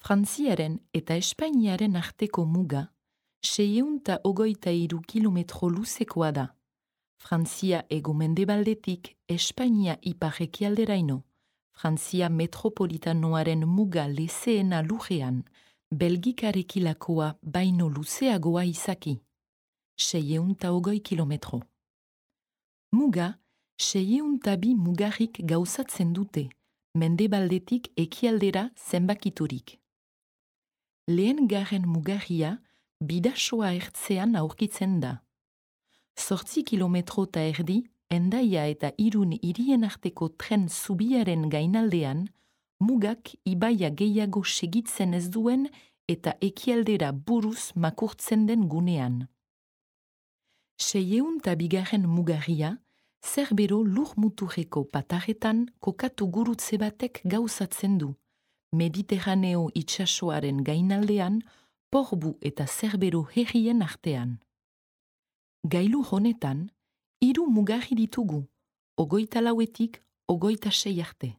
Frantziaren eta Espainiaren arteko muga 623 kilometro luzekoa da. Frantzia hego-mendebaldetik Espainia ipar-ekialderaino, Frantzia metropolitanoaren muga lezeena lurrean, Belgikarekilakoa baino luzeagoa izaki, 620 kilometro. Muga, 602 mugarrik gauzatzen dute, mendebaldetik ekialdera zenbakiturik. Lehen garen mugarria, Bidasoa ertzean aurkitzen da. 8 kilometro eta erdi, Hendaia eta Irun hirien arteko tren zubiaren gainaldean, mugak ibaia gehiago segitzen ez duen eta ekialdera buruz makurtzen den gunean. 602 mugarria, Zerbero lur muturreko patarretan kokatu gurutze batek gauzatzen du, Mediterraneo itsasoaren gainaldean, Porbu eta Zerbero herrien artean. Gailu honetan, 3 mugarri ditugu, 24-26 arte.